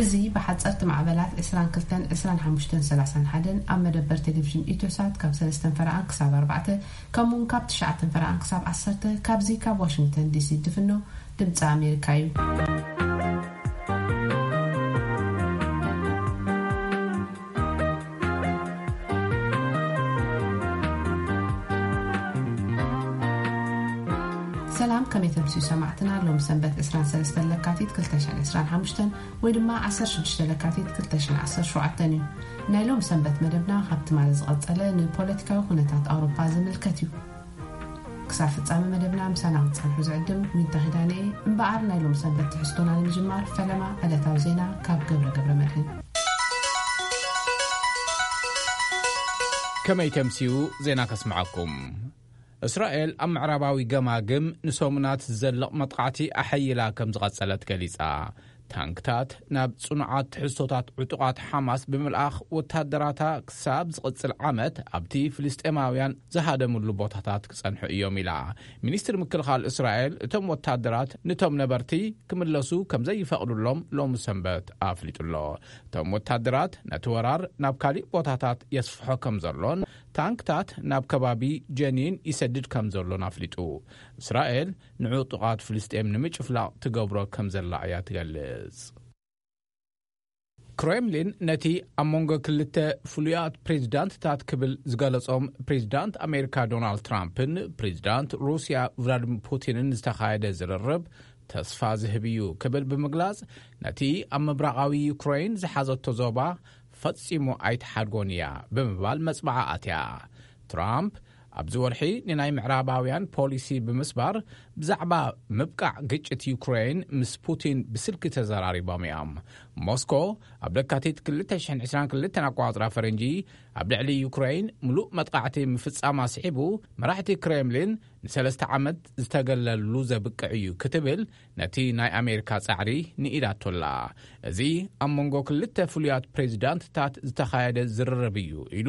እዚ ብሓጸርቲ ማዕበላት ዕስራን ክልተን፣ ዕስራን ሓሙሽተን፣ ሰላሳን ሓደን ኣብ መደበር ቴሌቪዥን ኢትዮሳት ካብ ሰለስተን ፈረቓን ክሳብ ኣርባዕተ፣ ከምኡውን ካብ ትሽዓተን ፈረቓን ክሳብ ዓሰርተ፣ ካብዚ ካብ ዋሽንግተን ዲሲ ድፍኖ ድምጺ ኣሜሪካ እዩ። ሰላም፣ ከመይ ተምስዩ ሰማዕትና? ሎም ሰንበት ዕስራን ሰለስተን ለካቲት ክልተ ሽሕን ዕስራን ሓሙሽተን ወይ ድማ ዓሰርተ ሽዱሽተ ለካቲት ክልተ ሽሕን ዓሰርተ ሸውዓተን እዩ። ናይ ሎም ሰንበት መደብና ካብ ትማሊ ዝቐጸለ ንፖለቲካዊ ኩነታት ኣውሮፓ ዝምልከት እዩ። ክሳብ ፍጻመ መደብና ምሳና ክትጸንሑ ዝዕድም ዊንታ ኪዳነ እየ። እምበኣር ናይ ሎም ሰንበት ትሕዝቶና ንምጅማር ፈለማ ዕለታዊ ዜና ካብ ገብረ ገብረ መድህን። ከመይ ተምስዩ ዜና ከስምዓኩም። እስራኤል ኣብ ምዕራባዊ ገማግም ንሰሙናት ዝዘልቕ መጥቃዕቲ ኣሐይላ ከም ዝቐጸለት ገሊጻ። ታንክታት ናብ ጽኑዓት ትሕዝቶታት ዕጡቓት ሓማስ ብምልኣኽ ወታደራታ ክሳብ ዝቕጽል ዓመት ኣብቲ ፍልስጤማውያን ዝሃደምሉ ቦታታት ክጸንሑ እዮም ኢላ። ሚኒስትሪ ምክልኻል እስራኤል እቶም ወታደራት ነቶም ነበርቲ ክምለሱ ከም ዘይፈቕዱሎም ሎሚ ሰንበት ኣፍሊጡ ኣሎ። እቶም ወታደራት ነቲ ወራር ናብ ካሊእ ቦታታት የስፍሖ ከም ዘሎን ታንክታት ናብ ከባቢ ጀኒን ይሰድድ ከም ዘሎን ኣፍሊጡ። እስራኤል ንዕጡቓት ፍልስጤም ንምጭፍላቕ ትገብሮ ከም ዘላ እያ ትገልጽ። ክሬምሊን ነቲ ኣብ መንጎ ክልተ ፍሉያት ፕሬዚዳንትታት ክብል ዝገለጾም ፕሬዚዳንት ኣሜሪካ ዶናልድ ትራምፕን ፕሬዚዳንት ሩስያ ቭላድሚር ፑቲንን ዝተኻየደ ዝርርብ ተስፋ ዝህብ እዩ ክብል ብምግላጽ፣ ነቲ ኣብ ምብራቓዊ ዩክሬን ዝሓዘቶ ዞባ ፈጺሙ ኣይትሓድጎን እያ ብምባል መጽብዓ ኣትያ። ትራምፕ ኣብዚ ወርሒ ንናይ ምዕራባውያን ፖሊሲ ብምስባር ብዛዕባ ምብቃዕ ግጭት ዩክሬን ምስ ፑቲን ብስልኪ ተዘራሪቦም እዮም። ሞስኮ ኣብ ለካቲት ክልተ ሽሕን ዕስራን ክልተን ኣቋጽራ ፈረንጂ ኣብ ልዕሊ ዩክሬን ምሉእ መጥቃዕቲ ምፍጻማ ስዒቡ፣ መራሕቲ ክሬምሊን ንሰለስተ ዓመት ዝተገለሉ ዘብቅዕ እዩ ክትብል ነቲ ናይ ኣሜሪካ ጻዕሪ ንኢዳቶላ። እዚ ኣብ መንጎ ክልተ ፍሉያት ፕሬዚዳንትታት ዝተኻየደ ዝርርብ እዩ ኢሉ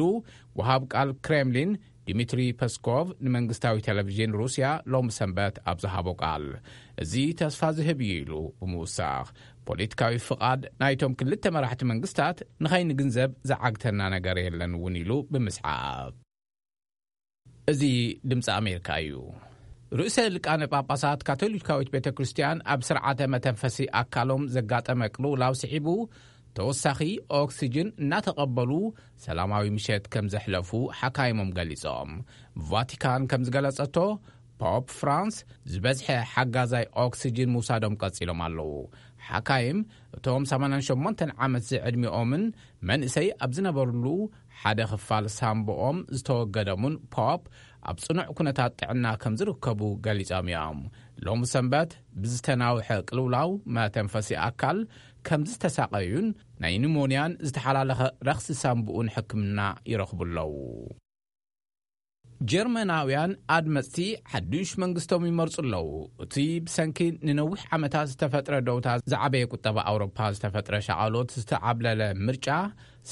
ወሃብ ቃል ክሬምሊን ዲሚትሪ ፐስኮቭ ንመንግስታዊ ቴሌቪዥን ሩስያ ሎሚ ሰንበት ኣብ ዝሃቦ ቃል፣ እዚ ተስፋ ዝህብ እዩ ኢሉ ብምውሳኽ፣ ፖለቲካዊ ፍቓድ ናይቶም ክልተ መራሕቲ መንግስታት ንኸይንግንዘብ ዝዓግተና ነገር የለን እውን ኢሉ ብምስዓብ። እዚ ድምፂ ኣሜሪካ እዩ። ርእሰ ሊቃነ ጳጳሳት ካቶሊካዊት ቤተ ክርስቲያን ኣብ ስርዓተ መተንፈሲ ኣካሎም ዘጋጠመ ቅልውላው ስዒቡ፣ ተወሳኺ ኦክሲጅን እናተቐበሉ ሰላማዊ ምሸት ከም ዘሕለፉ ሓካይሞም ገሊጾም። ቫቲካን ከም ዝገለጸቶ፣ ፖፕ ፍራንስ ዝበዝሐ ሓጋዛይ ኦክሲጅን ምውሳዶም ቀጺሎም ኣለዉ። ሓካይም፣ እቶም ሰማንያን ሸሞንተን ዓመት ዝዕድሚኦምን መንእሰይ ኣብ ዝነበርሉ ሓደ ክፋል ሳምቦኦም ዝተወገደሙን ፖፕ ኣብ ጽኑዕ ኩነታት ጥዕና ከም ዝርከቡ ገሊጾም እዮም። ሎሚ ሰንበት ብዝተናውሐ ቅልውላው መተንፈሲ ኣካል ከም ዝተሳቐዩን ናይ ኒሞንያን ዝተሓላለኸ ረኽሲ ሳምቡኡን ሕክምና ይረኽቡ ኣለዉ። ጀርመናውያን ኣድመፅቲ ሓዱሽ መንግስቶም ይመርጹ ኣለዉ። እቲ ብሰንኪ ንነዊሕ ዓመታት ዝተፈጥረ ደውታ ዝዓበየ ቁጠባ ኣውሮፓ ዝተፈጥረ ሻቓሎት ዝተዓብለለ ምርጫ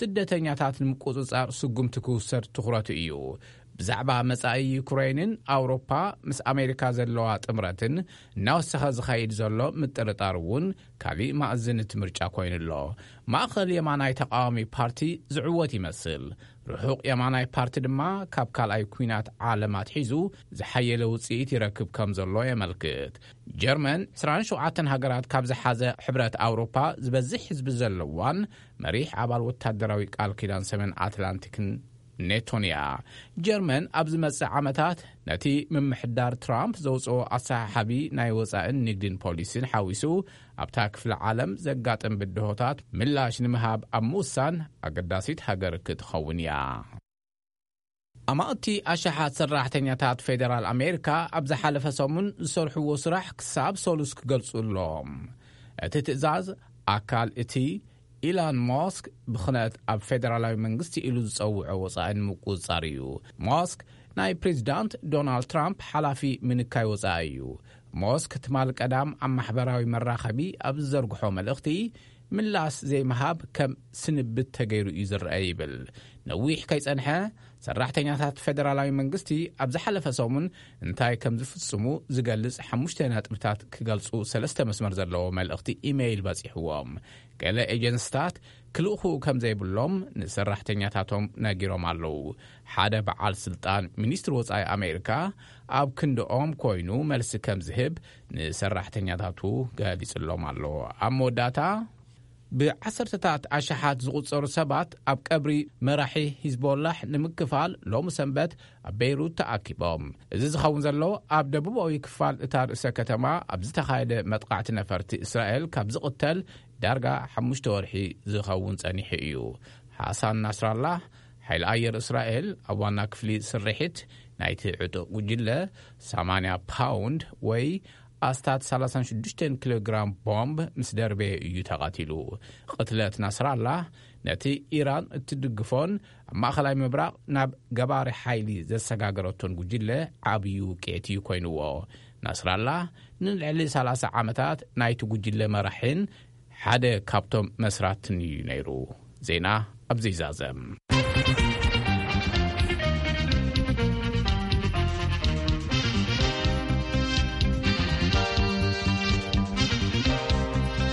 ስደተኛታት ንምቁጽጻር ስጉምቲ ክውሰድ ትኹረቱ እዩ። ብዛዕባ መጻኢ ዩክሬንን ኣውሮፓ ምስ ኣሜሪካ ዘለዋ ጥምረትን እናወሰኸ ዝኸይድ ዘሎ ምጥርጣር እውን ካሊእ መኣዝን እቲ ምርጫ ኮይኑ ኣሎ። ማእኸል የማናይ ተቃዋሚ ፓርቲ ዝዕወት ይመስል። ርሑቕ የማናይ ፓርቲ ድማ ካብ ካልኣይ ኲናት ዓለም ኣትሒዙ ዝሓየለ ውጽኢት ይረክብ ከም ዘሎ የመልክት። ጀርመን ዕስራን ሸውዓተን ሃገራት ካብ ዝሓዘ ሕብረት ኣውሮፓ ዝበዝሕ ህዝቢ ዘለዋን መሪሕ ኣባል ወታደራዊ ቃል ኪዳን ሰሜን ኣትላንቲክን ኔቶን እያ። ጀርመን ኣብ ዝመጽእ ዓመታት ነቲ ምምሕዳር ትራምፕ ዘውጽኦ ኣሰሓሓቢ ናይ ወጻእን ንግድን ፖሊሲን ሓዊሱ ኣብታ ክፍለ ዓለም ዘጋጥም ብድሆታት ምላሽ ንምሃብ ኣብ ምውሳን ኣገዳሲት ሃገር ክትኸውን እያ። ኣማእቲ ኣሽሓት ሰራሕተኛታት ፌደራል ኣሜሪካ ኣብ ዝሓለፈ ሰሙን ዝሰርሕዎ ስራሕ ክሳብ ሰሉስ ክገልጹ ኣለዎም። እቲ ትእዛዝ ኣካል እቲ ኢላን ሞስክ ብኽነት ኣብ ፌደራላዊ መንግስቲ ኢሉ ዝጸውዖ ወጻኢ ንምቁጽጻር እዩ። ሞስክ ናይ ፕሬዚዳንት ዶናልድ ትራምፕ ሓላፊ ምንካይ ወጻኢ እዩ። ሞስክ ትማል ቀዳም ኣብ ማሕበራዊ መራኸቢ ኣብ ዝዘርግሖ መልእኽቲ፣ ምላስ ዘይምሃብ ከም ስንብት ተገይሩ እዩ ዝረአ ይብል። ነዊሕ ከይጸንሐ ሰራሕተኛታት ፌደራላዊ መንግስቲ ኣብ ዝሓለፈ ሰሙን እንታይ ከም ዝፍጽሙ ዝገልጽ ሓሙሽተ ነጥብታት ክገልጹ ሰለስተ መስመር ዘለዎ መልእኽቲ ኢሜይል በጺሕዎም። ገለ ኤጀንስታት ክልእኹ ከም ዘይብሎም ንሰራሕተኛታቶም ነጊሮም ኣለዉ። ሓደ በዓል ስልጣን ሚኒስትሪ ወጻኢ ኣሜሪካ ኣብ ክንድኦም ኮይኑ መልሲ ከም ዝህብ ንሰራሕተኛታቱ ገሊጽሎም ኣሎ። ኣብ መወዳእታ ብዓሰርተታት ኣሽሓት ዝቑጸሩ ሰባት ኣብ ቀብሪ መራሒ ሂዝቦላሕ ንምክፋል ሎሚ ሰንበት ኣብ ቤይሩት ተኣኪቦም። እዚ ዝኸውን ዘሎ ኣብ ደቡባዊ ክፋል እታ ርእሰ ከተማ ኣብ ዝተኻየደ መጥቃዕቲ ነፈርቲ እስራኤል ካብ ዝቕተል ዳርጋ ሓሙሽተ ወርሒ ዝኸውን ጸኒሑ እዩ። ሓሳን ናስራላህ ሓይሊ ኣየር እስራኤል ኣብ ዋና ክፍሊ ስርሒት ናይቲ ዕጡቕ ጉጅለ ሰማንያ ፓውንድ ወይ ኣስታት ሰላሳን ሽዱሽተን ኪሎ ግራም ቦምብ ምስ ደርበየ እዩ ተቐቲሉ። ቅትለት ናስራላህ ነቲ ኢራን እትድግፎን ኣብ ማእኸላይ ምብራቕ ናብ ገባሪ ሓይሊ ዘሰጋገረቶን ጉጅለ ዓብዩ ውቅዒት እዩ ኮይንዎ። ናስራላህ ንልዕሊ ሰላሳ ዓመታት ናይቲ ጉጅለ መራሒን ሓደ ካብቶም መስራትን እዩ ነይሩ። ዜና ኣብዚ ይዛዘም።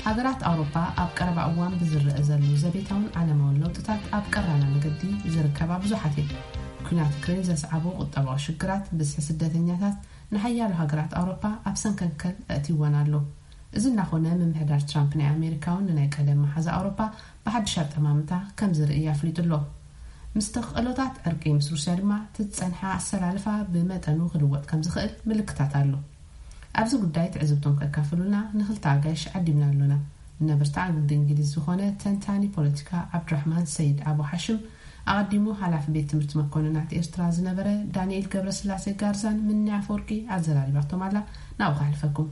ሃገራት ኣውሮፓ ኣብ ቀረባ እዋን ብዝረአ ዘሎ ዘቤታውን ዓለማውን ለውጥታት ኣብ ቀራና መገዲ ዝርከባ ብዙሓት እየን። ኲናት ዩክሬን ዘስዓቦ ቁጠባዊ ሽግራት፣ ብዝሒ ስደተኛታት ንሓያሎ ሃገራት ኣውሮፓ ኣብ ሰንከልከል ኣእትይወን ኣሎ። እዚ እናኾነ፣ ምምሕዳር ትራምፕ ናይ ኣሜሪካ እውን ንናይ ቀደም መሓዛ ኣውሮፓ ብሓድሽ ኣጠማምታ ከም ዝርኢ ኣፍሊጡ ኣሎ። ምስ ተኽእሎታት ዕርቂ ምስ ሩስያ ድማ፣ እቲ ዝጸንሐ ኣሰላልፋ ብመጠኑ ክልወጥ ከም ዝኽእል ምልክታት ኣሎ። ኣብዚ ጉዳይ ትዕዝብቶም ከካፍሉና ንኽልተ ኣጋይሽ ዓዲምና ኣሎና። ነብርታ ዓንዲ እንግሊዝ ዝኾነ ተንታኒ ፖለቲካ ዓብዱራሕማን ሰይድ ኣቡ ሓሽም፣ ኣቐዲሙ ሓላፊ ቤት ትምህርቲ መኮንናት ኤርትራ ዝነበረ ዳንኤል ገብረስላሴ ጋርዛን ምኒ ኣፈወርቂ ኣዘራሪባቶም ኣላ። ናብኡ ከሕልፈኩም።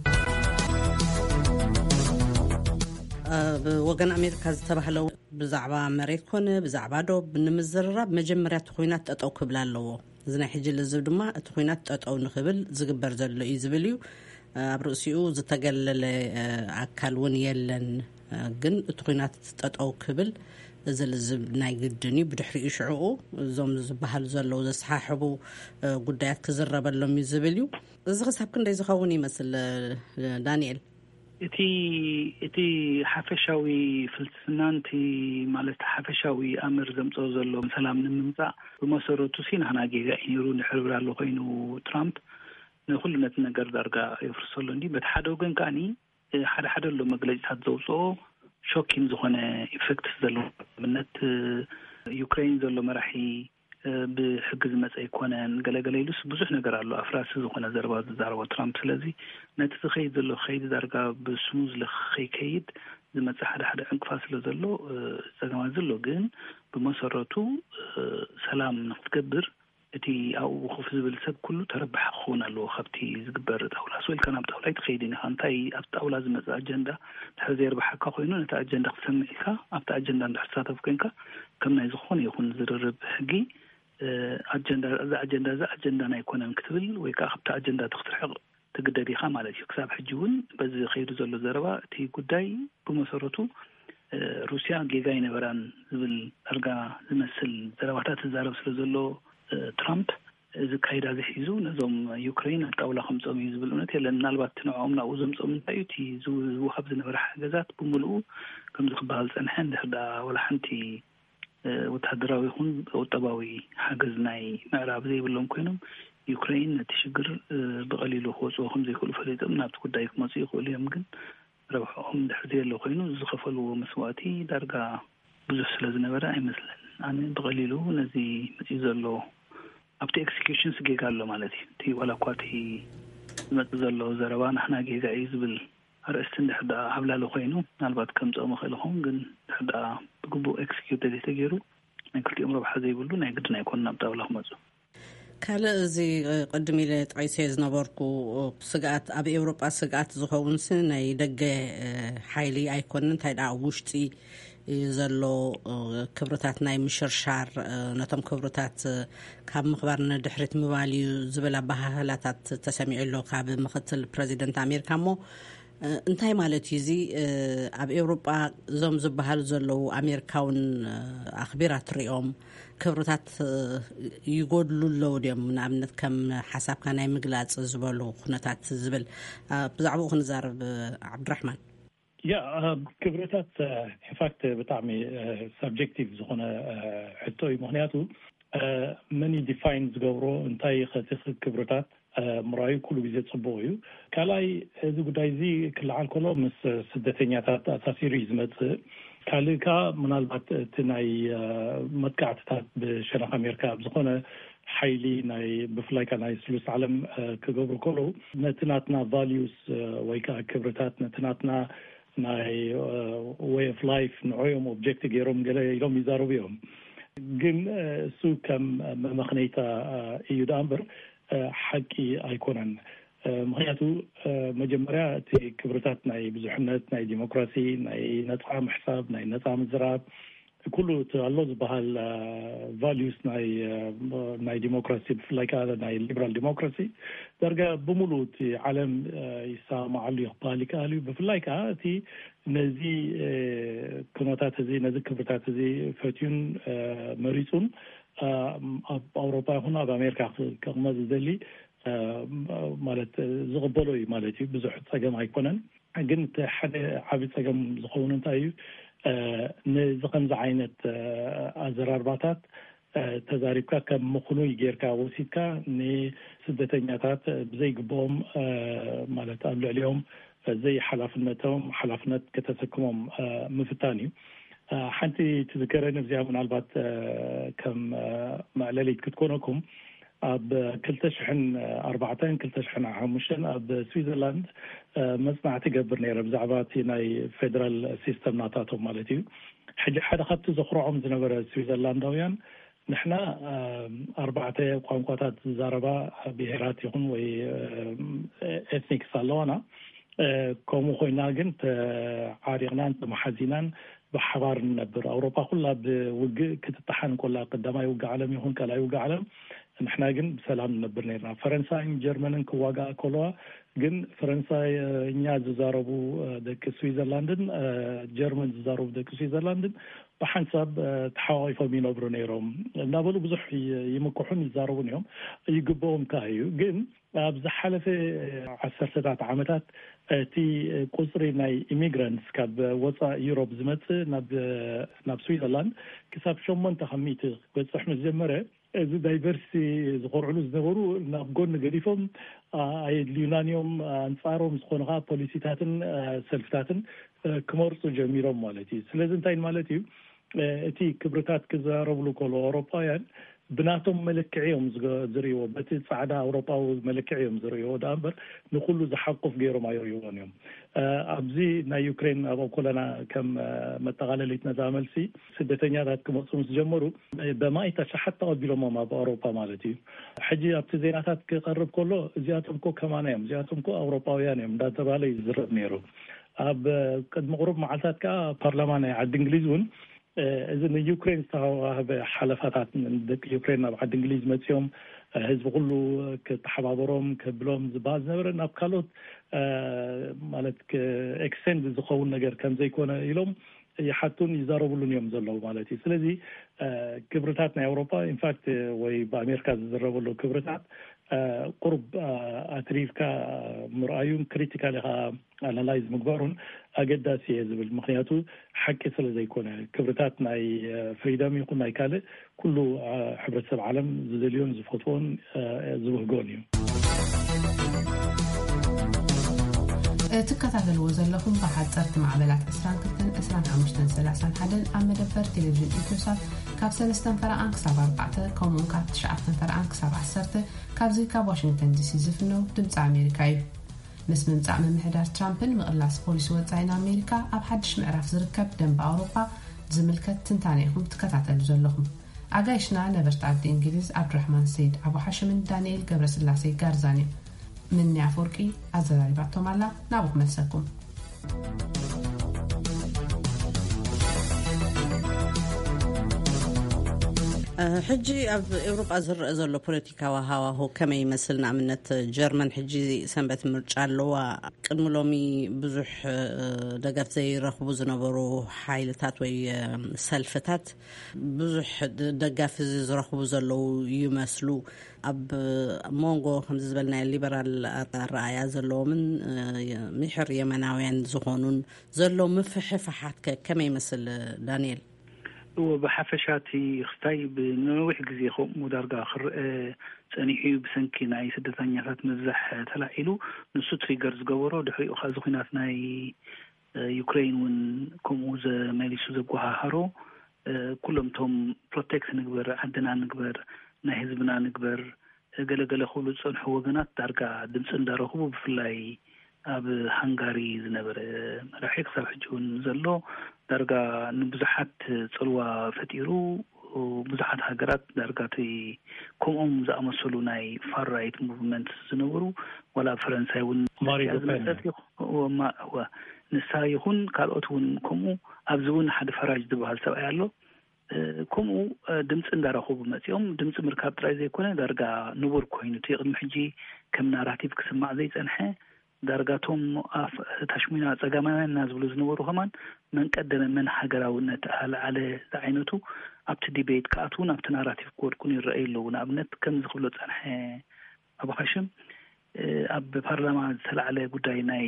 ኣብ ወገን ኣሜሪካ ዝተባህለ ብዛዕባ መሬት ኮነ ብዛዕባ ዶብ ንምዝርራብ መጀመርያ እቲ ኩናት ጠጠው ክብል ኣለዎ። እዚ ናይ ሕጂ ልዝብ ድማ እቲ ኩናት ጠጠው ንክብል ዝግበር ዘሎ እዩ ዝብል እዩ። ኣብ ርእሲኡ ዝተገለለ ኣካል እውን የለን። ግን እቲ ኩናት ጠጠው ክብል እዚ ልዝብ ናይ ግድን እዩ። ብድሕሪኡ ሽዕኡ እዞም ዝበሃሉ ዘለዉ ዘሰሓሕቡ ጉዳያት ክዝረበሎም እዩ ዝብል እዩ። እዚ ክሳብ ክንደይ ዝኸውን ይመስል ዳንኤል? እቲ እቲ ሓፈሻዊ ፍልስፍናን እቲ ማለት ሓፈሻዊ ኣምር ዘምፅኦ ዘሎ ሰላም ንምምፃእ ብመሰረቱ ሲ ናህና ጌጋ እዩ ነይሩ። ንሕርብር ኣሎ ኮይኑ ትራምፕ ንኩሉ ነቲ ነገር ዳርጋ የፍርሰሉ እንዲ በቲ ሓደ ወገን ከኣኒ ሓደ ሓደ ኣሎ መግለፂታት ዘውፅኦ ሾኪን ዝኾነ ኢፌክትስ ዘለዎ ኣብነት ዩክሬን ዘሎ መራሒ ብሕጊ ዝመፀ ኣይኮነን ገለገለ ኢሉስ ብዙሕ ነገር ኣሎ። ኣፍራሲ ዝኾነ ዘረባ ዝዛረቦ ትራምፕ። ስለዚ ነቲ ዝኸይድ ዘሎ ከይዲ ዳርጋ ብስሙዝ ከይከይድ ዝመፀ ሓደ ሓደ ዕንቅፋት ስለ ዘሎ ፀገማት ዘሎ ግን ብመሰረቱ ሰላም ንክትገብር እቲ ኣብኡ ኮፍ ዝብል ሰብ ኩሉ ተረባሒ ክኸውን ኣለዎ ካብቲ ዝግበር ጣውላ። ስወ ኢልካ ናብ ጣውላ ኣይትኸይድን ኢኻ። እንታይ ኣብቲ ጣውላ ዝመፅእ ኣጀንዳ ድሕር ዘየርብሓካ ኮይኑ ነቲ ኣጀንዳ ክትሰምዕ ኢልካ ኣብቲ ኣጀንዳ እንድሕር ትሳተፍ ኮንካ ከም ናይ ዝኾነ ይኹን ዝርርብ ሕጊ ኣጀንዳ እዚ ኣጀንዳ እዚ ኣጀንዳና ኣይኮነን ክትብል ወይ ከዓ ካብቲ ኣጀንዳ እቲ ክትርሕቕ ትግደድ ኢኻ ማለት እዩ። ክሳብ ሕጂ እውን በዚ ከይዱ ዘሎ ዘረባ እቲ ጉዳይ ብመሰረቱ ሩስያ ጌጋ ኣይነበራን ዝብል ዳርጋ ዝመስል ዘረባታት ትዛረብ ስለ ዘሎ ትራምፕ እዚ ካይዳ እዚ ሒዙ ነዞም ዩክሬን ኣብ ጣውላ ከምፅኦም እዩ ዝብል እምነት የለን። ምናልባት እቲ ንዕኦም ናብኡ ዘምፅኦም እንታይ እዩ እቲ ዝወሃብ ዝነበረ ሓገዛት ብምልኡ ከምዚ ክበሃል ፀንሐ እንድሕር ደኣ ወላ ሓንቲ ወታደራዊ ይኹን ቁጠባዊ ሓገዝ ናይ ምዕራብ ዘይብሎም ኮይኖም ዩክሬን ነቲ ሽግር ብቐሊሉ ክወፅዎ ከምዘይክእሉ ፈሊጦም ናብቲ ጉዳይ ክመፁ ይኽእሉ እዮም። ግን ረብሕኦም ድሕር ዘየሎ ኮይኑ ዝኸፈልዎ መስዋእቲ ዳርጋ ብዙሕ ስለ ዝነበረ ኣይመስለን። ኣነ ብቐሊሉ ነዚ መፅኡ ዘሎ ኣብቲ ኤክስኪዩሽንስ ጌጋ ኣሎ ማለት እዩ። እቲ ዋላ እኳ እቲ ዝመፅእ ዘሎ ዘረባ ናሕና ጌጋ እዩ ዝብል ኣርእስቲ እንድሕር ደኣ ዓብላሊ ኮይኑ ምናልባት ከምፅኦ ምኽእል ይኸውን። ግን እንድሕር ደኣ ብግቡእ ኤክስኪዩት ተዘይተገይሩ ናይ ክልቲኦም ረብሓ ዘይብሉ ናይ ግድን ኣይኮኑን ናብ ጣውላ ክመፁ። ካልእ እዚ ቅድም ኢለ ጠቒሰ ዝነበርኩ ስግኣት ኣብ ኤውሮጳ ስግኣት ዝኸውን ሲ ናይ ደገ ሓይሊ ኣይኮነን እንታይ ደኣ ውሽጢ ዘሎ ክብርታት ናይ ምሽርሻር ነቶም ክብርታት ካብ ምኽባር ንድሕሪት ምባል እዩ ዝብል ኣባሃህላታት ተሰሚዑ ኣሎ ካብ ምክትል ፕረዚደንት ኣሜሪካ እሞ እንታይ ማለት እዩ እዚ ኣብ ኤውሮጳ እዞም ዝበሃሉ ዘለዉ ኣሜሪካውን ኣኽቢራ ትሪኦም ክብርታት ይጎድሉ ኣለዉ ድዮም ንኣብነት ከም ሓሳብካ ናይ ምግላፅ ዝበሉ ኩነታት ዝብል ብዛዕባኡ ክንዛረብ ዓብድራሕማን ያ ክብርታት ኢንፋክት ብጣዕሚ ሰብጀክቲቭ ዝኾነ ሕቶ እዩ። ምክንያቱ መን ዲፋይን ዝገብሮ እንታይ ከቲ ክብርታት ምራዩ ኩሉ ግዜ ጽቡቕ እዩ። ካልኣይ እዚ ጉዳይ እዚ ክለዓል ከሎ ምስ ስደተኛታት ኣሳሲሩ እዩ ዝመጽእ። ካልእ ከኣ ምናልባት እቲ ናይ መጥቃዕትታት ብሸነኽ ኣሜሪካ ኣብ ዝኾነ ሓይሊ ናይ ብፍላይ ከኣ ናይ ስሉስ ዓለም ክገብሩ ከለዉ ነቲ ናትና ቫልዩስ ወይ ከዓ ክብርታት ነቲ ናትና ናይ ወይ ኦፍ ላይፍ ንዕኦም ኦብጀክት ገይሮም ገለ ኢሎም ይዛረቡ እዮም። ግን እሱ ከም መመኽነይታ እዩ ደኣ እምበር ሓቂ ኣይኮነን። ምክንያቱ መጀመርያ እቲ ክብርታት ናይ ብዙሕነት፣ ናይ ዲሞክራሲ፣ ናይ ነፃ ምሕሳብ፣ ናይ ነፃ ምዝራብ ኩሉ እቲ ኣሎ ዝበሃል ቫልዩስ ናይ ናይ ዲሞክራሲ ብፍላይ ከዓ ናይ ሊበራል ዲሞክራሲ ዳርጋ ብምሉእ እቲ ዓለም ይሰማማዓሉ እዩ ክበሃል ይከኣል እዩ። ብፍላይ ከዓ እቲ ነዚ ኩነታት እዚ ነዚ ክብርታት እዚ ፈትዩን መሪፁን ኣብ ኣውሮፓ ይኹን ኣብ ኣሜሪካ ክቕመጥ ዝደሊ ማለት ዝቕበሎ እዩ ማለት እዩ። ብዙሕ ፀገም ኣይኮነን። ግን እቲ ሓደ ዓቢ ጸገም ዝኸውን እንታይ እዩ? ነዚ ከምዚ ዓይነት ኣዘራርባታት ተዛሪብካ ከም ምኽኑይ ጌርካ ወሲድካ ንስደተኛታት ብዘይግብኦም ማለት ኣብ ልዕሊኦም ዘይሓላፍነቶም ሓላፍነት ከተሰክሞም ምፍታን እዩ። ሓንቲ ትዝከረኒ እዚኣ ምናልባት ከም መዕለሊት ክትኮነኩም ኣብ ክልተ ሽሕን ኣርባዕተን ክልተ ሽሕን ሓሙሽተን ኣብ ስዊዘርላንድ መጽናዕቲ ገብር ነይረ ብዛዕባ እቲ ናይ ፌደራል ሲስተም ናታቶም ማለት እዩ። ሕጂ ሓደ ካብቲ ዘኹርዖም ዝነበረ ስዊዘርላንዳውያን ንሕና ኣርባዕተ ቋንቋታት ዝዛረባ ብሄራት ይኹን ወይ ኤትኒክስ ኣለዋና። ከምኡ ኮይና ግን ተዓሪቕናን ተመሓዚናን ብሓባር ንነብር። ኣውሮፓ ኩላ ብውግእ ክትጠሓን ኮላ ቀዳማይ ውግእ ዓለም ይኹን ካልኣይ ውግእ ዓለም ንሕና ግን ብሰላም ንነብር ነርና። ፈረንሳይን ጀርመንን ክዋጋኣ ከለዋ ግን ፈረንሳይኛ ዝዛረቡ ደቂ ስዊዘርላንድን ጀርመን ዝዛረቡ ደቂ ስዊዘርላንድን ብሓንሳብ ተሓቋቂፎም ይነብሩ ነይሮም እናበሉ ብዙሕ ይምክሑን ይዛረቡን እዮም። ይግብኦም ከዓ እዩ። ግን ኣብ ዝሓለፈ ዓሰርተታት ዓመታት እቲ ቁፅሪ ናይ ኢሚግራንትስ ካብ ወፃእ ዩሮፕ ዝመፅእ ናብ ስዊዘርላንድ ክሳብ ሸሞንተ ካብ ሚእቲ ክበፅሕ ምስ ጀመረ እዚ ዳይቨርሲቲ ዝኮርዕሉ ዝነበሩ ናብ ጎኒ ገዲፎም ኣየድልዩናን እዮም ኣንፃሮም ዝኾኑ ከዓ ፖሊሲታትን ሰልፍታትን ክመርፁ ጀሚሮም ማለት እዩ። ስለዚ እንታይ ማለት እዩ? እቲ ክብርታት ክዘራረብሉ ከሎ ኣውሮፓውያን ብናቶም መለክዒ እዮም ዝሪእዎ። በቲ ፃዕዳ ኣውሮፓዊ መለክዒ እዮም ዝሪእዎ ደኣ እምበር ንኩሉ ዝሓቁፍ ገይሮም ኣይሪእዎን እዮም። ኣብዚ ናይ ዩክሬን ኣብ ኮለና ከም መጠቓለሊት ነዛ መልሲ ስደተኛታት ክመፁ ምስ ጀመሩ በማኢት ኣሽሓት ተቐቢሎሞም ኣብ ኣውሮፓ ማለት እዩ። ሕጂ ኣብቲ ዜናታት ክቐርብ ከሎ እዚኣቶም ኮ ከማና እዮም፣ እዚኣቶም ኮ ኣውሮፓውያን እዮም እንዳተባለ ይዝረብ ነይሩ። ኣብ ቅድሚ ቁሩብ መዓልታት ከዓ ፓርላማ ናይ ዓዲ እንግሊዝ እውን እዚ ንዩክሬን ዝተዋህበ ሓለፋታት ደቂ ዩክሬን ናብ ዓዲ እንግሊዝ መፅኦም ህዝቢ ኩሉ ክተሓባበሮም ክብሎም ዝበሃል ዝነበረ ናብ ካልኦት ማለት ኤክስቴንድ ዝኸውን ነገር ከም ዘይኮነ ኢሎም ይሓቱን ይዛረብሉን እዮም ዘለዉ ማለት እዩ። ስለዚ ክብርታት ናይ ኣውሮፓ ኢንፋክት ወይ ብኣሜሪካ ዝዝረበሉ ክብርታት ቁሩብ ኣትሪርካ ምርኣዩን ክሪቲካሊ ከዓ ኣናላይዝ ምግባሩን ኣገዳሲ እየ ዝብል። ምክንያቱ ሓቂ ስለ ዘይኮነ ክብርታት ናይ ፍሪደም ይኹን ናይ ካልእ ኩሉ ሕብረተሰብ ዓለም ዝደልዮን ዝፈትዎን ዝብህጎን እዩ። ትከታተልዎ ዘለኹም ብሓፀርቲ ማዕበላት ዕስራን ክልተን ዕስራን ሓሙሽተን ሰላሳን ሓደን ኣብ መደበር ቴሌቪዥን ኢትዮሳት ካብ ሰለስተን ፈረቓን ክሳብ ኣርባዕተ ከምኡውን ካብ ትሽዓተን ፈረቓን ክሳብ ዓሰርተ ካብዚ ካብ ዋሽንግተን ዲሲ ዝፍነው ድምፂ ኣሜሪካ እዩ። ምስ ምምፃእ ምምሕዳር ትራምፕን ምቕላስ ፖሊሲ ወፃኢን ኣሜሪካ ኣብ ሓድሽ ምዕራፍ ዝርከብ ደንበ ኣውሮፓ ዝምልከት ትንታነ ኢኹም ትከታተሉ ዘለኹም። ኣጋይሽና ነበርቲ ዓዲ እንግሊዝ ዓብዱራሕማን ሰይድ ኣቡ ሓሽምን ዳንኤል ገብረስላሴ ጋርዛን እዮም። ምኒ ኣፈወርቂ ኣዘራሪባቶም ኣላ። ናብኡ ክመልሰኩም። ሕጂ ኣብ ኤውሮጳ ዝረአ ዘሎ ፖለቲካዊ ሃዋሁ ከመይ ይመስል? ንኣብነት ጀርመን ሕጂ ሰንበት ምርጫ ኣለዋ። ቅድሚ ሎሚ ብዙሕ ደገፍ ዘይረኽቡ ዝነበሩ ሓይልታት ወይ ሰልፍታት ብዙሕ ደጋፊ ዝረኽቡ ዘለዉ ይመስሉ። ኣብ መንጎ ከምዚ ዝበልናዮ ሊበራል ኣረኣእያ ዘለዎምን ምሕር የመናውያን ዝኾኑን ዘሎ ምፍሕፋሓት ከ ከመይ ይመስል? ዳንኤል። እዎ፣ ብሓፈሻ እቲ ክስታይ ብነዊሕ ግዜ ከምኡ ዳርጋ ክረአ ጸኒሑ እዩ። ብሰንኪ ናይ ስደተኛታት ምብዛሕ ተላዒሉ፣ ንሱ ትሪገር ዝገበሮ፣ ድሕሪኡ ከኣ እዚ ኲናት ናይ ዩክሬን እውን ከምኡ ዘመሊሱ ዘጓሃሃሮ፣ ኩሎም እቶም ፕሮቴክት ንግበር፣ ዓድና ንግበር፣ ናይ ህዝብና ንግበር፣ ገለገለ ክብሉ ዝጸንሑ ወገናት ዳርጋ ድምፂ እንዳረኽቡ፣ ብፍላይ ኣብ ሃንጋሪ ዝነበረ መራሒ ክሳብ ሕጂ እውን ዘሎ ዳርጋ ንብዙሓት ፅልዋ ፈጢሩ። ብዙሓት ሃገራት ዳርጋ እቲ ከምኦም ዝኣመሰሉ ናይ ፋር ራይት ሙቭመንት ዝነበሩ፣ ዋላ ኣብ ፈረንሳይ እውን ማሪ ንሳ ሉፔን። ዝመፀት ይኹ- እወ፣ ማ- እወ፣ ንሳ ይኹን ካልኦት እውን ከምኡ። ኣብዚ እውን ሓደ ፈራጅ ዝበሃል ሰብኣይ ኣሎ። ከምኡ ድምፂ እንዳረኸቡ መፂኦም። ድምፂ ምርካብ ጥራይ ዘይኮነ ዳርጋ ንቡር ኮይኑ፣ እቲ ቅድሚ ሕጂ ከም ናራቲቭ ክስማዕ ዘይፀንሐ፣ ዳርጋ እቶም ኣፍ ታሽሙና ፀጋማውያን እና ዝብሉ ዝነበሩ ከማን መን ቀደመ መን ሃገራውነት ኣለዓለ ዝዓይነቱ ኣብቲ ዲቤት ክኣትውን ኣብቲ ናራቲቭ ክወድቁን ይረኣዩ ኣለዉ። ንኣብነት ከምዚ ክብሎ ዝፀንሐ፣ ኣብ ኻሽም ኣብ ፓርላማ ዝተላዕለ ጉዳይ ናይ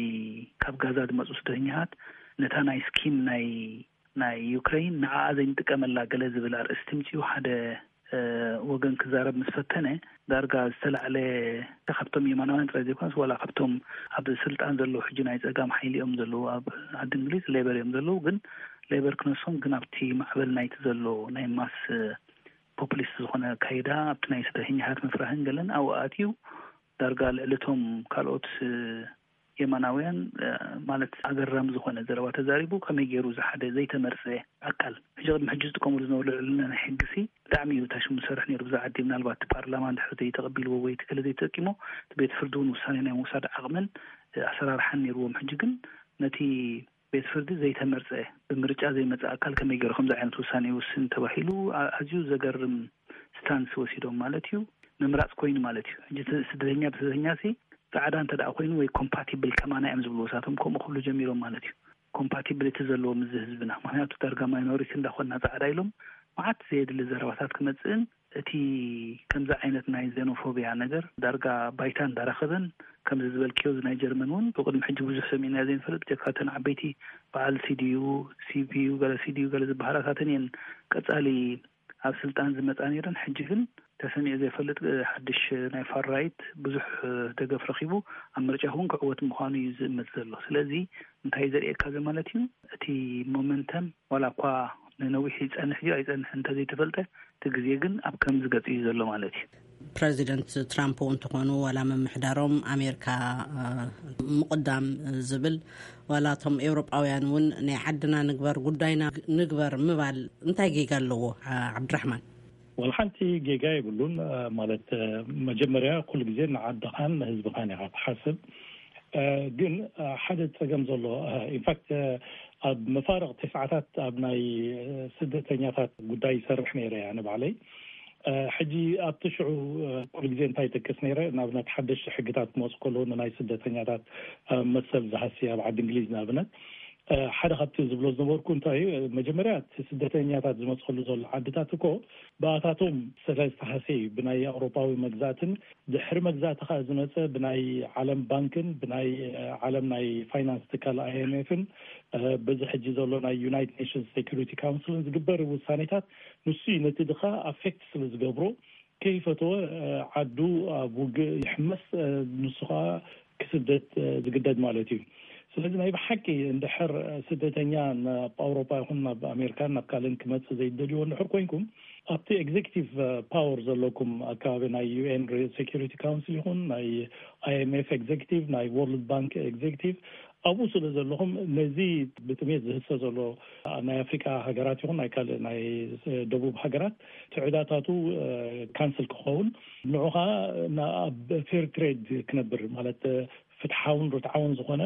ካብ ጋዛ ዝመፁ ስደተኛታት ነታ ናይ ስኪም ናይ ናይ ዩክሬን ንዓኣ ዘይንጥቀመላ ገለ ዝብል ኣርእስቲ ምፅኡ ሓደ ወገን ክዛረብ ምስ ፈተነ፣ ዳርጋ ዝተላዕለ ካብቶም የማናውያን ጥራይ ዘይኮነስ ዋላ ካብቶም ኣብ ስልጣን ዘለዉ ሕጂ ናይ ፀጋም ሓይሊ እዮም ዘለዉ ኣብ ዓዲ እንግሊዝ ሌበር እዮም ዘለዉ። ግን ሌበር ክነሶም ግን ኣብቲ ማዕበል ናይቲ ዘሎ ናይ ማስ ፖፕሊስት ዝኾነ ኣካይዳ ኣብቲ ናይ ስደተኛታት ምፍራህን ገለን ኣብኡ ኣትዩ ዳርጋ ልዕሊ እቶም ካልኦት የማናውያን ማለት ኣገራሚ ዝኾነ ዘረባ ተዛሪቡ። ከመይ ገይሩ ዝሓደ ዘይተመርፀ ኣካል ሕጂ ቅድሚ ሕጂ ዝጥቀምሉ ዝነበሩ ልዕልና ናይ ሕግሲ ብጣዕሚ እዩ ታሽሙ ዝሰርሕ ነይሩ። ብዛ ዓዲ ምናልባት ፓርላማ እንድሕር ዘይተቐቢልዎ ወይ ትክለ ዘይተጠቂሞ እቲ ቤት ፍርዲ እውን ውሳኔ ናይ ምውሳድ ዓቕምን ኣሰራርሓን ነይርዎም። ሕጂ ግን ነቲ ቤት ፍርዲ ዘይተመርፀ ብምርጫ ዘይመፀ ኣካል ከመይ ገይሩ ከምዚ ዓይነት ውሳኔ ይውስን ተባሂሉ ኣዝዩ ዘገርም ስታንስ ወሲዶም ማለት እዩ። ምምራፅ ኮይኑ ማለት እዩ። ሕጂ ስደተኛ ብስደተኛ ሲ ፃዕዳ እንተ ደኣ ኮይኑ ወይ ኮምፓቲብል ከማና እዮም ዝብሉ፣ እሳቶም ከምኡ ክብሉ ጀሚሮም ማለት እዩ። ኮምፓቲብሊቲ ዘለዎ ምስ ህዝብና፣ ምክንያቱ ዳርጋ ማይኖሪቲ እንዳኾንና ፃዕዳ ኢሎም መዓት ዘየድሊ ዘረባታት ክመፅእን እቲ ከምዚ ዓይነት ናይ ዜኖፎቢያ ነገር ዳርጋ ባይታ እንዳረኸበን፣ ከምዚ ዝበልክዮ እዚ ናይ ጀርመን እውን ብቅድሚ ሕጂ ብዙሕ ሰሚዕና ዘይንፈልጥ፣ ብጀካ እተን ዓበይቲ በዓል ሲዲዩ ሲፒዩ ገለ ሲዲዩ ገለ ዝበሃላታተን እየን ቀፃሊ ኣብ ስልጣን ዝመፃ ነይረን። ሕጂ ግን ተሰሚዑ ዘይፈልጥ ሓድሽ ናይ ፋር ራይት ብዙሕ ደገፍ ረኪቡ ኣብ ምርጫ እውን ክዕወት ምዃኑ እዩ ዝእመት ዘሎ። ስለዚ እንታይ ዘርእየካ ዘሎ ማለት እዩ? እቲ ሞመንተም ዋላ እኳ ንነዊሕ ይፀንሕ እዩ ኣይፀንሕ እንተዘይተፈልጠ፣ እቲ ግዜ ግን ኣብ ከምዚ ገፅ እዩ ዘሎ ማለት እዩ። ፕረዚደንት ትራምፕ እውን እንተኾኑ ዋላ ምምሕዳሮም ኣሜሪካ ምቕዳም ዝብል ዋላ እቶም ኤውሮጳውያን እውን ናይ ዓድና ንግበር ጉዳይና ንግበር ምባል እንታይ ጌጋ ኣለዎ? ዓብድራሕማን። ወላ ሓንቲ ጌጋ የብሉን። ማለት መጀመርያ ኩሉ ግዜ ንዓድኻን ንህዝብኻን ኢኻ ትሓስብ። ግን ሓደ ፀገም ዘሎ፣ ኢንፋክት ኣብ መፋርቕ ተስዓታት ኣብ ናይ ስደተኛታት ጉዳይ ይሰርሕ ነይረ እያ ንባዕለይ። ሕጂ ኣብቲ ሽዑ ኩሉ ግዜ እንታይ ይጠቅስ ነይረ፣ ንኣብነት ሓደሽቲ ሕግታት ክመፁ ከለዉ ንናይ ስደተኛታት መሰል ዝሃሲ ኣብ ዓዲ እንግሊዝ ንኣብነት ሓደ ካብቲ ዝብሎ ዝነበርኩ እንታይ እዩ፣ መጀመርያ እቲ ስደተኛታት ዝመፅሉ ዘሎ ዓድታት እኮ ብኣታቶም ስለ ዝተሃሰ እዩ፣ ብናይ ኣውሮፓዊ መግዛእትን ድሕሪ መግዛእቲ ከዓ ዝመፀ ብናይ ዓለም ባንክን ብናይ ዓለም ናይ ፋይናንስ ትካል ኣይኤምኤፍን በዚ ሕጂ ዘሎ ናይ ዩናይትድ ኔሽንስ ሴኩሪቲ ካውንስልን ዝግበር ውሳኔታት ንሱ እዩ ነቲ ድኻ ኣፌክት ስለ ዝገብሮ ከይፈተወ ዓዱ ኣብ ውግእ ይሕመስ፣ ንሱ ከዓ ክስደት ዝግደድ ማለት እዩ። ስለዚ ናይ ብሓቂ እንድሕር ስደተኛ ናብ ኣውሮፓ ይኹን ናብ ኣሜሪካን ናብ ካልእን ክመፅእ ዘይደልይዎ እንድሕር ኮይንኩም ኣብቲ ኤግዜክቲቭ ፓወር ዘለኩም ኣካባቢ ናይ ዩኤን ሴኩሪቲ ካውንስል ይኹን ናይ ኣይኤምኤፍ ኤግዜክቲቭ ናይ ወርልድ ባንክ ኤግዜክቲቭ ኣብኡ ስለ ዘለኹም ነዚ ብጥሜት ዝህሰ ዘሎ ናይ ኣፍሪካ ሃገራት ይኹን ናይ ካልእ ናይ ደቡብ ሃገራት ትዕዳታቱ ካንስል ክኸውን ንዑ ከዓ ኣብ ፌር ትሬድ ክነብር ማለት ፍትሓውን ርትዓውን ዝኾነ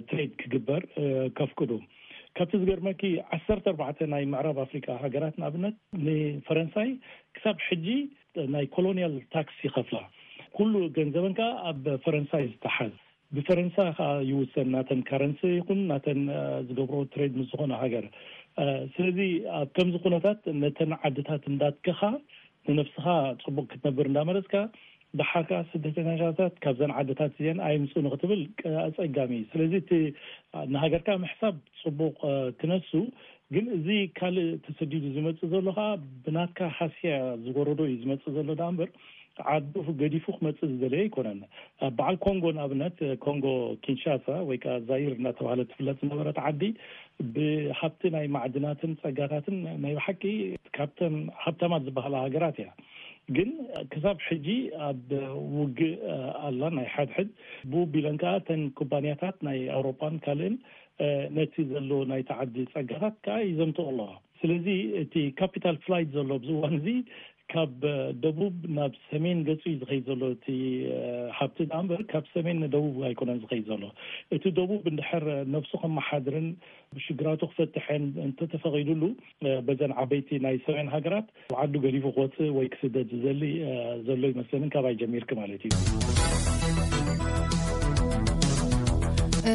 ትሬድ ክግበር ከፍቅዱ። ካብቲ ዝገርመኪ፣ ዓሰርተ ኣርባዕተ ናይ ምዕራብ ኣፍሪቃ ሃገራት ንኣብነት ንፈረንሳይ ክሳብ ሕጂ ናይ ኮሎኒያል ታክስ ይኸፍላ። ኩሉ ገንዘበን ከኣ ኣብ ፈረንሳይ ዝተሓዝ፣ ብፈረንሳ ከኣ ይውሰን፣ ናተን ካረንሲ ይኹን ናተን ዝገብሮ ትሬድ ምስ ዝኾነ ሃገር። ስለዚ ኣብ ከምዚ ኩነታት ነተን ዓድታት እንዳትከኻ ንነፍስኻ ጽቡቕ ክትነብር እንዳመረጽካ፣ ደሓር ከኣ ስደተኛታት ካብዘን ዓድታት እዚአን ኣይምጹ ንክትብል ኣጸጋሚ እዩ። ስለዚ እቲ ንሃገርካ ምሕሳብ ጽቡቕ ክነሱ፣ ግን እዚ ካልእ ተሰዲዱ ዝመጽእ ዘሎ ከኣ ብናትካ ሃስያ ዝወረዶ እዩ ዝመጽእ ዘሎ ደኣ እምበር፣ ዓዱ ገዲፉ ክመጽእ ዝደለየ ኣይኮነን። በዓል ኮንጎ ንኣብነት፣ ኮንጎ ኪንሻሳ ወይ ከኣ ዛይር እናተባህለት ትፍለጥ ዝነበረት ዓዲ፣ ብሃብቲ ናይ ማዕድናትን ጸጋታትን ናይ ብሓቂ ካብተን ሃብታማት ዝበሃላ ሃገራት እያ። ግን ክሳብ ሕጂ ኣብ ውግእ ኣላ፣ ናይ ሓድሕድ። ብኡ ቢለን ከኣ ተን ኩባንያታት ናይ ኣውሮፓን ካልእን ነቲ ዘሎ ናይቲ ዓዲ ጸጋታት ከኣ ይዘምትኦ ኣለዋ። ስለዚ እቲ ካፒታል ፍላይት ዘሎ ኣብዚ እዋን እዚ ካብ ደቡብ ናብ ሰሜን ገጹ እዩ ዝኸይድ ዘሎ። እቲ ሃብቲ ደኣ እምበር ካብ ሰሜን ንደቡብ ኣይኮነን ዝኸይድ ዘሎ። እቲ ደቡብ እንድሕር ነብሱ ከመሓድርን ሽግራቱ ክፈትሕን እንተተፈቒዱሉ፣ በዘን ዓበይቲ ናይ ሰሜን ሃገራት ዓዱ ገዲፉ ክወጽእ ወይ ክስደድ ዝደሊ ዘሎ ይመስለንን፣ ካባይ ጀሚርክ ማለት እዩ።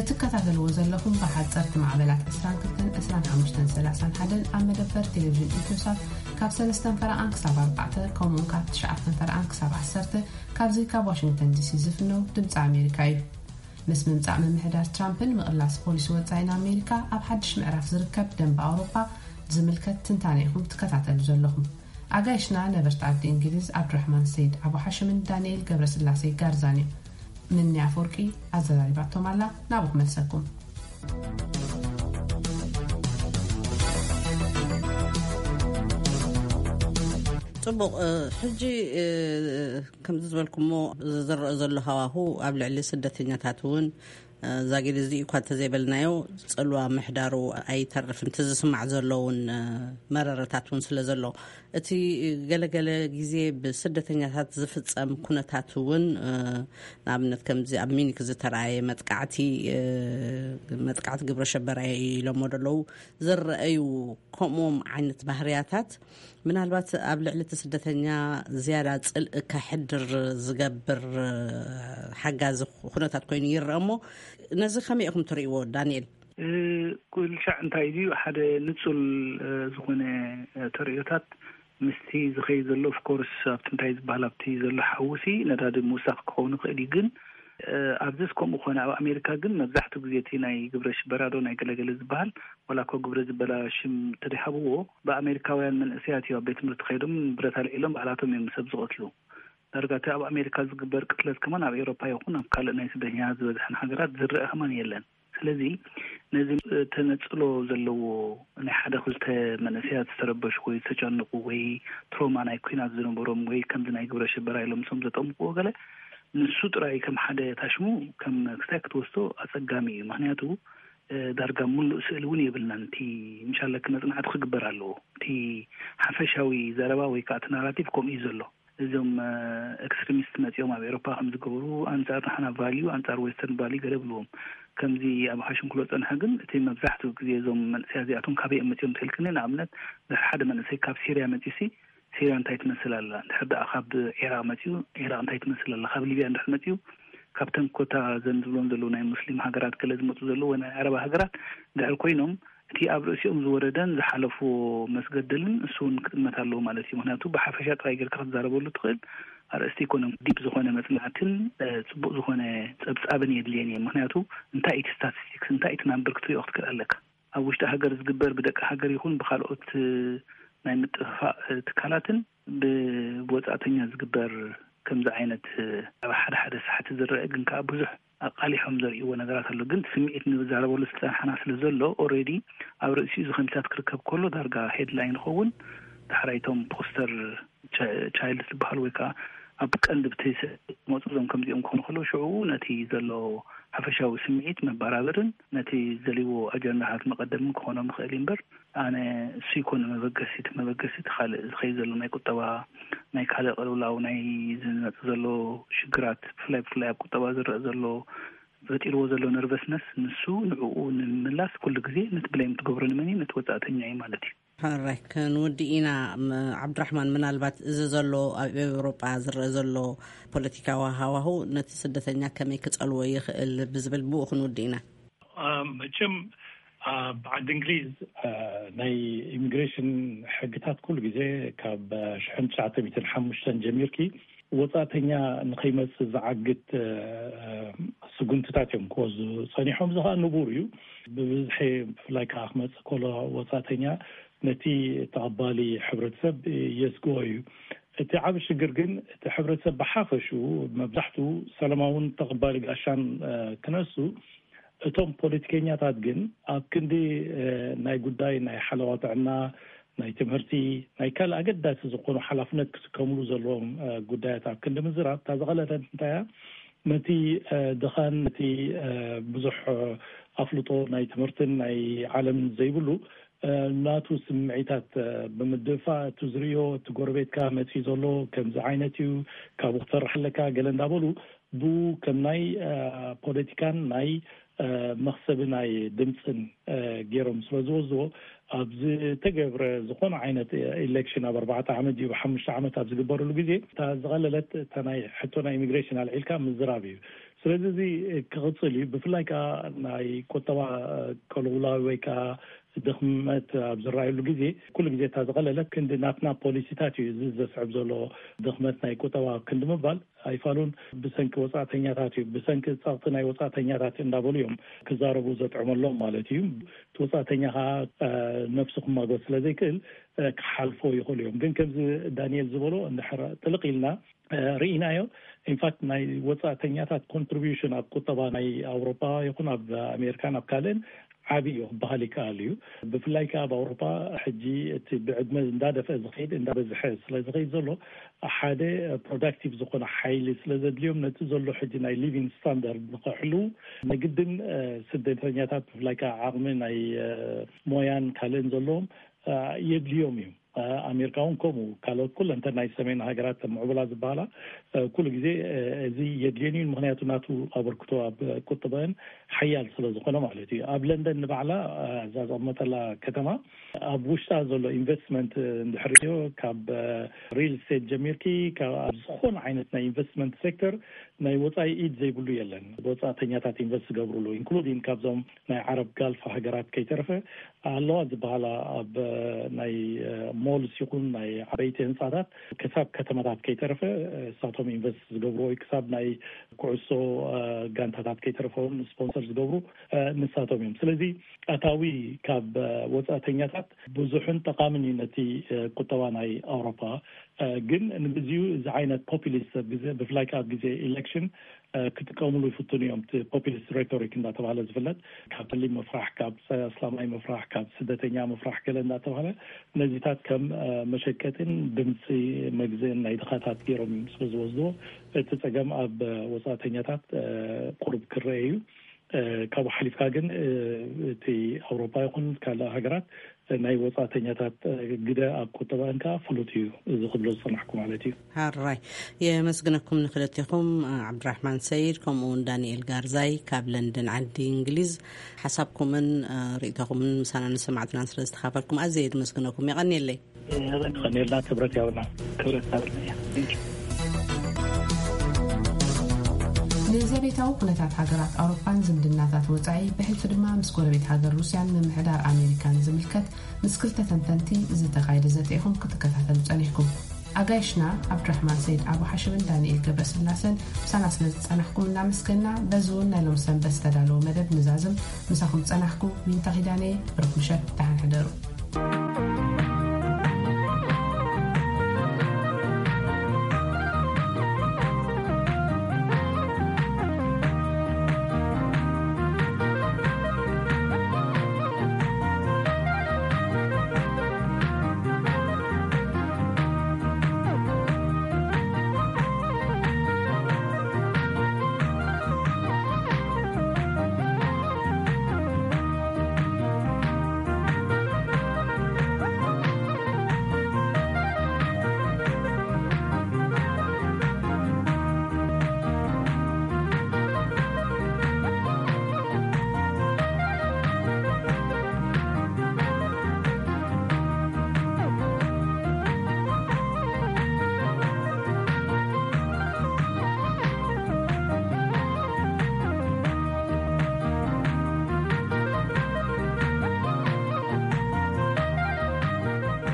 ትከታተልዎ ዘለኹም ብሓጸርቲ ማዕበላት ዕስራን ክልተን፣ ዕስራን ሓሙሽተን፣ ሰላሳን ሓደን ኣብ መደበር ቴሌቪዥን ኢትዮሳት ካብ ሰለስተን ፈረቓን ክሳብ ኣርባዕተ፣ ከምኡውን ካብ ትሽዓተን ፈረቓን ክሳብ ዓሰርተ፣ ካብዚ ካብ ዋሽንግተን ዲሲ ዝፍነው ድምፂ ኣሜሪካ እዩ። ምስ ምምፃእ ምምሕዳር ትራምፕን ምቕላስ ፖሊሲ ወፃኢን ኣሜሪካ ኣብ ሓድሽ ምዕራፍ ዝርከብ ደንበ ኣውሮጳ ዝምልከት ትንታነ ኢኹም ትከታተሉ ዘለኹም። ኣጋይሽና ነበርቲ ዓዲ እንግሊዝ ዓብዱራሕማን ሰይድ ኣቡ ሓሽምን ዳንኤል ገብረስላሴ ጋርዛን እዮም። ምኒ ኣፈወርቂ ኣዘራሪባቶም ኣላ፣ ናብኡ ክመልሰኩም። ጽቡቕ። ሕጂ ከምዚ ዝበልኩሞ ዝረአ ዘሎ ሃዋሁ ኣብ ልዕሊ ስደተኛታት እውን ዛጊድ እዚ እኳ እንተዘይበልናዮ፣ ጽልዋ ምሕዳሩ ኣይተርፍን። እቲ ዝስማዕ ዘሎ እውን መረረታት እውን ስለ ዘሎ፣ እቲ ገለገለ ግዜ ብስደተኛታት ዝፍጸም ኩነታት እውን፣ ንኣብነት ከምዚ ኣብ ሚኒክ ዝተረኣየ መጥቃዕቲ፣ መጥቃዕቲ ግብረ ሸበራ ኢሎሞ ዘለዉ ዝረኣዩ ከምኡም ዓይነት ባህርያታት፣ ምናልባት ኣብ ልዕሊ እቲ ስደተኛ ዝያዳ ጽልእ ከሕድር ዝገብር ሓጋዚ ኩነታት ኮይኑ ይረአ። እሞ ነዚ ከመይ ኢኹም ትርእይዎ ዳንኤል? ኩልሻዕ እንታይ እዩ ሓደ ንጹል ዝኾነ ተርእዮታት ምስቲ ዝኸይድ ዘሎ፣ ኦፍኮርስ ኣብቲ እንታይ ዝበሃል ኣብቲ ዘሎ ሓውሲ ነዳዲ ምውሳኽ ክኸውን ይኽእል እዩ። ግን ኣብዚስ ከምኡ ኮነ፣ ኣብ ኣሜሪካ ግን መብዛሕትኡ ግዜ እቲ ናይ ግብረ ሽበራዶ ናይ ገለገለ ዝበሃል ዋላ እኮ ግብረ ዝበላ ሽም ተደይሃብዎ፣ ብኣሜሪካውያን መንእሰያት እዩ ኣብ ቤት ትምህርቲ ከይዶም ብረት ኣልዒሎም ባዕላቶም እዮም ሰብ ዝቐትሉ። ዳርጋ እቲ ኣብ ኣሜሪካ ዝግበር ቅትለት ከማን ኣብ ኤውሮፓ ይኹን ኣብ ካልእ ናይ ስደተኛታት ዝበዝሐን ሃገራት ዝረአ ከማን የለን። ስለዚ ነዚ ተነጽሎ ዘለዎ ናይ ሓደ ክልተ መንእሰያት ዝተረበሹ ወይ ዝተጨንቁ ወይ ትሮማ ናይ ኩናት ዝነበሮም ወይ ከምዚ ናይ ግብረ ሽበራ ኢሎም ምስኦም ዘጠምቅዎ ገለ ንሱ ጥራይ ከም ሓደ ታሽሙ ከም ክስታይ ክትወስዶ ኣጸጋሚ እዩ። ምክንያቱ ዳርጋ ሙሉእ ስእሊ እውን የብልናን። እቲ ምሻለኪ መጽናዕቲ ክግበር ኣለዎ። እቲ ሓፈሻዊ ዘረባ ወይ ከዓ እቲ ናራቲቭ ከምኡ እዩ ዘሎ። እዞም ኤክስትሪሚስት መጺኦም ኣብ ኤሮፓ ከም ዝገብሩ ኣንጻር ንሕና ቫልዩ ኣንጻር ዌስተርን ቫልዩ ገለ ብልዎም። ከምዚ ኣብ ሓሽንክሎ ጸንሐ ግን እቲ መብዛሕትኡ ግዜ እዞም መንእሰያ እዚኣቶም ካበይ እዮም መጺኦም ተልክኒ ንኣብነት ድሕሪ ሓደ መንእሰይ ካብ ሲርያ መጺሲ ሲርያ እንታይ ትመስል ኣላ? እንድሕር ደኣ ካብ ዒራቕ መጺኡ ዒራቕ እንታይ ትመስል ኣላ? ካብ ሊብያ እንድሕር መጺኡ ካብተን ኮታ ዘን ዝብሎም ዘለዉ ናይ ሙስሊም ሃገራት ገለ ዝመጹ ዘለዉ ወይ ናይ ዓረባ ሃገራት እንድሕር ኮይኖም እቲ ኣብ ርእሲኦም ዝወረደን ዝሓለፍዎ መስገደልን እሱ እውን ክጥመት ኣለዎ ማለት እዩ። ምክንያቱ ብሓፈሻ ጥራይ ጌርካ ክትዛረበሉ ትኽእል ኣርእስቲ ኣይኮነን። ዲፕ ዝኾነ መጽናዕትን ጽቡቕ ዝኾነ ጸብጻብን የድልየን እየ። ምክንያቱ እንታይ እቲ ስታቲስቲክስ እንታይ እቲ ናምበር ክትሪኦ ክትክእል ኣለካ። ኣብ ውሽጢ ሃገር ዝግበር ብደቂ ሃገር ይኹን ብካልኦት ናይ ምጥፍፋእ ትካላትን ብወጻእተኛ ዝግበር ከምዚ ዓይነት ኣብ ሓደ ሓደ ሳሕቲ ዝረአ ግን ከዓ ብዙሕ ኣቃሊሖም ዘርእይዎ ነገራት ኣሎ። ግን ስምዒት ንዛረበሉ ዝፀንሓና ስለ ዘሎ ኦሬዲ ኣብ ርእሲኡ እዚ ከምዚታት ክርከብ ከሎ ዳርጋ ሄድላይን ይኸውን። ዳሕራይቶም ፖስተር ቻይልድ ዝበሃል ወይ ከዓ ኣብ ቀንዲ ብቲ መፁ እዞም ከምዚኦም ክኾኑ ከለዉ ሽዑ ነቲ ዘሎ ሓፈሻዊ ስምዒት መበራበርን ነቲ ዝደልይዎ ኣጀንዳታት መቐደምን ክኾኖም ይኽእል እዩ እምበር ኣነ እሱ ይኮነ መበገሲ እቲ መበገሲ እቲ ካልእ ዝኸይ ዘሎ ናይ ቁጠባ ናይ ካልእ ቅልውላው ናይ ዝመፅ ዘሎ ሽግራት ብፍላይ ብፍላይ ኣብ ቁጠባ ዝረእ ዘሎ ፈጢርዎ ዘሎ ነርቨስነስ፣ ንሱ ንዕኡ ንምምላስ ኩሉ ግዜ ነቲ ብሌም ትገብሮ ንመን እዩ? ነቲ ወጻእተኛ እዩ ማለት እዩ። ሕራይ፣ ክንውዲ ኢና። ም-፣ ዓብዱራሕማን፣ ምናልባት እዚ ዘሎ ኣብ ኤውሮጳ ዝረአ ዘሎ ፖለቲካዊ ሃዋሁ ነቲ ስደተኛ ከመይ ክጸልዎ ይኽእል ብዝብል ብኡ ክንውዲ ኢና። አ፣ መቸም ኣብ ዓዲ እንግሊዝ፣ አ፣ ናይ ኢሚግሬሽን ሕግታት ኩሉ ግዜ ካብ ሽሕን ትሽዓተ ሚእትን ሓሙሽተን ጀሚርኪ ወጻእተኛ ንኸይመጽእ ዝዓግት፣ አ፣ ስጉምትታት እዮም ክወስዱ ጸኒሖም። እዚ ኸኣ ንቡር እዩ። ብብዝሒ ብፍላይ ከኣ ክመጽእ ከሎ ወጻእተኛ ነቲ ተቐባሊ ሕብረተሰብ የስግኦ እዩ። እቲ ዓቢ ሽግር ግን እቲ ሕብረተሰብ ብሓፈሽኡ መብዛሕትኡ ሰላማውን ተቐባሊ ጋሻን፣ አ፣ ክነሱ፣ እቶም ፖለቲከኛታት ግን ኣብ ክንዲ፣ አ፣ ናይ ጉዳይ ናይ ሓለዋ ጥዕና፣ ናይ ትምህርቲ፣ ናይ ካልእ ኣገዳሲ ዝኾኑ ሓላፍነት ክስከምሉ ዘለዎም፣ አ፣ ጉዳያት ኣብ ክንዲ ምዝራብ፣ እታ ዝቐለለት እንታይ እያ? ነቲ፣ አ፣ ድኻን ነቲ፣ አ፣ ብዙሕ፣ አ፣ ኣፍልጦ ናይ ትምህርትን ናይ ዓለምን ዘይብሉ፣ አ፣ ናቱ ስምዒታት፣ አ፣ ብምድፋእ፣ እቲ ዝርእዮ፣ እቲ ጎረቤትካ መጺኡ ዘሎ ከምዚ ዓይነት እዩ፣ ካብኡ ክትፈርሕ ኣለካ፣ ገለ እንዳበሉ፣ ብኡ ከም ናይ፣ አ፣ ፖለቲካን ናይ፣ አ፣ መኽሰቢ ናይ ድምፅን፣ አ፣ ገይሮም ስለ ዝወስድዎ፣ ኣብ ዝተገብረ ዝኾነ ዓይነት ኢሌክሽን፣ ኣብ ኣርባዕተ ዓመት ድዩ ብሓሙሽተ ዓመት ኣብ ዝግበረሉ ግዜ፣ እታ ዝቐለለት፣ እታ ናይ ሕቶ ናይ ኢሚግሬሽን ኣልዒልካ ምዝራብ እዩ። ስለዚ እዚ ክቕጽል እዩ። ብፍላይ ከኣ ናይ ቁጠባ ቅልውላው ወይ ከኣ ድኽመት ኣብ ዝረኣየሉ ግዜ፣ ኩሉ ግዜ እታ ዝቐለለት ክንዲ ናትና ፖሊሲታት እዩ እዚ ዘስዕብ ዘሎ። ድኽመት ናይ ቁጠባ ክንዲ ምባል ኣይፋሉን፣ ብሰንኪ ወጻእተኛታት እዩ፣ ብሰንኪ ጸቕጢ ናይ ወጻእተኛታት እንዳበሉ እዮም ክዛረቡ ዘጥዕመሎም ማለት እዩ። እቲ ወጻእተኛ ከኣ፣ እ፣ ነፍሱ ክማጎት ስለ ዘይክእል፣ እ፣ ክሓልፎ ይኽእሉ እዮም። ግን ከምዚ ዳንኤል ዝበሎ እንድሕር ጥልቕ ኢልና፣ እ፣ ርኢናዮ፣ ኢንፋክት ናይ ወጻእተኛታት ኮንትሪቢዩሽን ኣብ ቁጠባ ናይ ኣውሮፓ ይኹን ኣብ ኣሜሪካን ኣብ ካልእን ዓቢ እዩ ክበሃል ይከኣል እዩ። ብፍላይ ከኣ ኣብ ኣውሮፓ ሕጂ እቲ ብዕድመ እንዳደፍአ ዝኸይድ፣ እንዳበዝሐ ስለ ዝኸይድ ዘሎ፣ ሓደ ፕሮዳክቲቭ ዝኾነ ሓይሊ ስለ ዘድልዮም፣ ነቲ ዘሎ ሕጂ ናይ ሊቪንግ ስታንዳርድ ንኸሕልዉ፣ ናይ ግድን፣ እ፣ ስደተኛታት፣ ብፍላይ ከኣ ዓቕሚ ናይ፣ እ፣ ሞያን ካልእን ዘለዎም፣ እ፣ የድልዮም እዩ። እ፣ ኣሜሪካ እውን ከምኡ፣ ካልኦት ኩለን እተን ናይ ሰሜን ሃገራት ምዕቡላት ዝበሃላ፣ እ፣ ኩሉ ግዜ፣ እ፣ እዚ የድልየን እዩ። ምኽንያቱ ናቱ ኣበርክቶ ኣብ ቁጠበን ሓያል ስለ ዝኾነ ማለት እዩ። ኣብ ለንደን ንባዕላ፣ እ፣ እዛ ዘቐመጠላ ከተማ፣ ኣብ ውሽጣ ዘሎ ኢንቨስትመንት፣ እ፣ እንድሕር ሪኦ፣ ካብ፣ እ፣ ሪል ስቴት ጀሚርኪ፣ ካብ ኣብ ዝኾነ ዓይነት ናይ ኢንቨስትመንት ሴክተር ናይ ወጻኢ ኢድ ዘይብሉ የለን። ወጻእተኛታት ኢንቨስት ዝገብሩሉ፣ ኢንክሉዲንግ ካብዞም ናይ ዓረብ ጋልፍ ሃገራት ከይተረፈ ኣለዋ ዝበሃላ፣ ኣብ፣ እ፣ ናይ፣ እ፣ ሞልስ ይኹን ናይ ዓበይቲ ህንጻታት ክሳብ ከተማታት ከይተረፈ፣ እ፣ እሳቶም ኢንቨስት ዝገብሩ ወይ ክሳብ ናይ ኩዕሶ፣ እ፣ ጋንታታት ከይተረፈ እውን ስፖንሰር ዝገብሩ፣ እ፣ ንሳቶም እዮም። ስለዚ ኣታዊ ካብ፣ እ፣ ወጻእተኛታት ብዙሕን ጠቓምን እዩ ነቲ፣ እ፣ ቁጠባ ናይ ኣውሮፓ። እ፣ ግን ንግዚኡ እዚ ዓይነት ፖፑሊስት ኣብ ግዜ፣ ብፍላይ ከኣ ኣብ ግዜ ኢሌክሽን፣ እ፣ ክጥቀምሉ ይፍትኑ እዮም። እቲ ፖፑሊስት ሬቶሪክ እንዳተባሃለ ዝፍለጥ፣ ካብ ጠሊም ምፍራሕ፣ ካብ ጸ-፣ ኣስላማይ ምፍራሕ፣ ካብ ስደተኛ ምፍራሕ ገለ እንዳተባሃለ ነዚታት ከም፣ እ፣ መሸቀጥን ድምፂ መግዝእን ናይ ድኻታት ገይሮም እዮም ስለ ዝወስድዎ፣ እቲ ጸገም ኣብ፣ እ፣ ወጻእተኛታት፣ እ፣ ቁሩብ ክረአ እዩ። እ፣ ካብኡ ሓሊፍካ ግን፣ እ፣ እቲ ኣውሮፓ ይኹን ካልእ ሃገራት፣ እ፣ ናይ ወጻእተኛታት፣ እ፣ ግደ ኣብ ቁጠባን ከኣ ፍሉጥ እዩ፣ እዚ ክብሎ ዝጸናሕኩ ማለት እዩ። ሓራይ፣ የመስግነኩም ንክልቴኹም፣ እ፣ ዓብድራሕማን ሰይድ ከምኡ እውን ዳንኤል ጋርዛይ ካብ ለንደን ዓዲ እንግሊዝ፣ ሓሳብኩምን፣ እ፣ ርእይቶኹምን ምሳና ንሰማዕትናን ስለ ዝተኻፈልኩም ኣዝየ የመስግነኩም። የቐንየለይ። ተቐኒልና ክብረት ያውና። ክብረት ናትና እያ። ንዘቤታዊ ኩነታት ሃገራት ኣውሮፓን ዝምድናታት ወጻኢ፣ ብሕልፊ ድማ ምስ ጎረቤት ሃገር ሩስያን ምምሕዳር ኣሜሪካን ዝምልከት ምስ ክልተ ተንተንቲ ዝተኻየደ ዘተ ኢኹም ክትከታተሉ ጸኒሕኩም። ኣጋይሽና ዓብድራሕማን ሰይድ ኣቡ ሓሽምን ዳንኤል ገብረስላሰን ምሳና ስለ ዝጸናሕኩም እናመስገና፣ በዚ እውን ናይ ሎም ሰንበት ዝተዳለወ መደብ ንዛዝም። ምሳኹም ዝጸናሕኩ ዊንታ ኪዳነ። ብሩኽ ምሸት፣ ደሓን ሕደሩ።